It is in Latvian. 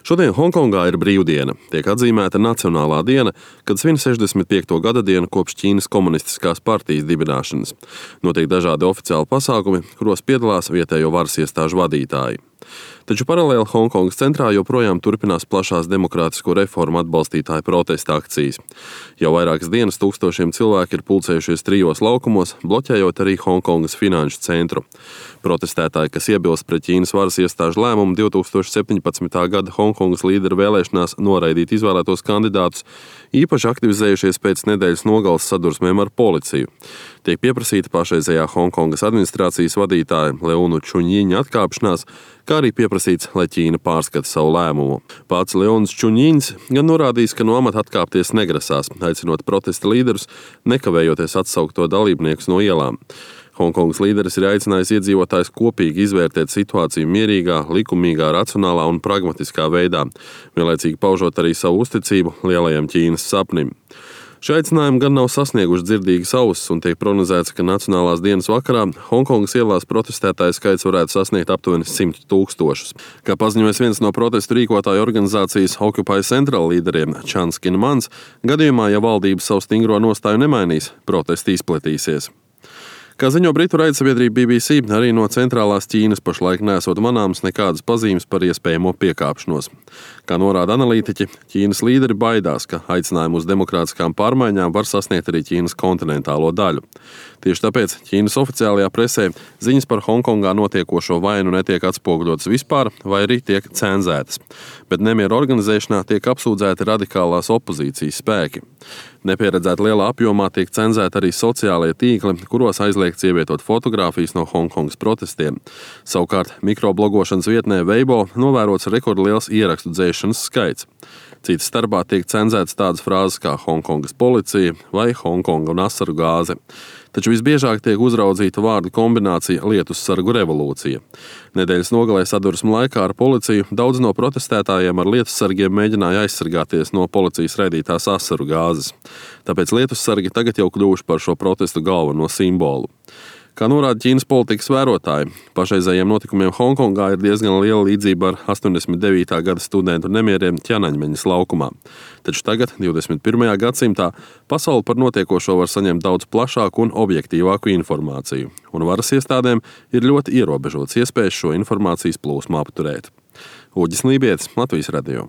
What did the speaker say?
Šodien Honkongā ir brīvdiena. Tiek atzīmēta nacionālā diena, kad svin 65. gada dienu kopš Ķīnas komunistiskās partijas dibināšanas. Notiek dažādi oficiāli pasākumi, kuros piedalās vietējo varas iestāžu vadītāji. Taču paralēli Honkongas centrā joprojām turpinās plašās demokrātisko reformu atbalstītāju protesta akcijas. Jau vairākas dienas tūkstošiem cilvēki ir pulcējušies 3 laukumos, bloķējot arī Honkongas finanšu centru. Protestētāji, kas iebilst pret Ķīnas varas iestāžu lēmumu 2017. gada Honkongas līderu vēlēšanās noraidīt izvēlētos kandidātus, īpaši aktivizējušies pēc nedēļas nogales sadursmēm ar policiju. Tiek pieprasīta pašreizējā Honkongas administrācijas vadītāja Leunu Čuņiņa atkāpšanās, kā arī pieprasīts, lai Ķīna pārskata savu lēmumu. Pats Leons Čuņiņs gan norādījis, ka no amata atkāpties negrasās, aicinot protesta līderus nekavējoties atsaukt to dalībniekus no ielām. Honkongas līderis ir aicinājis iedzīvotājus kopīgi izvērtēt situāciju mierīgā, likumīgā, racionālā un pragmatiskā veidā, vienlaicīgi paužot arī savu uzticību lielajam Ķīnas sapnim. Šie aicinājumi gan nav sasnieguši dzirdīgas ausis un tiek prognozēts, ka nacionālās dienas vakarā Honkongas ielās protestētāju skaits varētu sasniegt aptuveni 100 000. Kā paziņojas viens no protestu rīkotāju organizācijas Occupy Central līderiem Chans Kinmans, gadījumā, ja valdība savu stingro nostāju nemainīs, protesti izplatīsies. Kā ziņo britu raidsabiedrība BBC, arī no centrālās Ķīnas pašlaik nesot manāmas nekādas pazīmes par iespējamo piekāpšanos. Kā norāda analītiķi, Ķīnas līderi baidās, ka aicinājumu uz demokrātiskām pārmaiņām var sasniegt arī Ķīnas kontinentālo daļu. Tieši tāpēc Ķīnas oficiālajā presē ziņas par Honkongā notiekošo vai nu netiek atspoguļotas vispār, vai arī tiek cenzētas. Bet nemieru organizēšanā tiek apsūdzēti radikālās opozīcijas spēki. Nepieredzēti lielā apjomā tiek cenzēti arī sociālie tīkli, kuros aizliegts ievietot fotogrāfijas no Honkongas protestiem. Savukārt mikroblogošanas vietnē Weibo novērots rekordliels ierakstu dzēšanas skaits. Citas starpā tiek cenzētas tādas frāzes kā Honkongas policija vai Honkonga un asaru gāze. Taču visbiežāk tiek uzraudzīta vārdu kombinācija lietussargu revolūcija. Nedēļas nogalē sadursmu laikā ar policiju daudz no protestētājiem ar lietussargiem mēģināja aizsargāties no policijas raidītās asaru gāzes. Tāpēc lietussargi tagad jau kļuvuši par šo protestu galveno simbolu. Kā norāda Ķīnas politikas vērotāji, pašreizējiem notikumiem Honkongā ir diezgan liela līdzība ar 89. gada studentu nemieriem Ķanaņmeņas laukumā. Taču tagad, 21. gadsimtā, pasaule par notiekošo var saņemt daudz plašāku un objektīvāku informāciju, un varas iestādēm ir ļoti ierobežots iespējas šo informācijas plūsmu apturēt. Uģis Lībietis, Latvijas radio.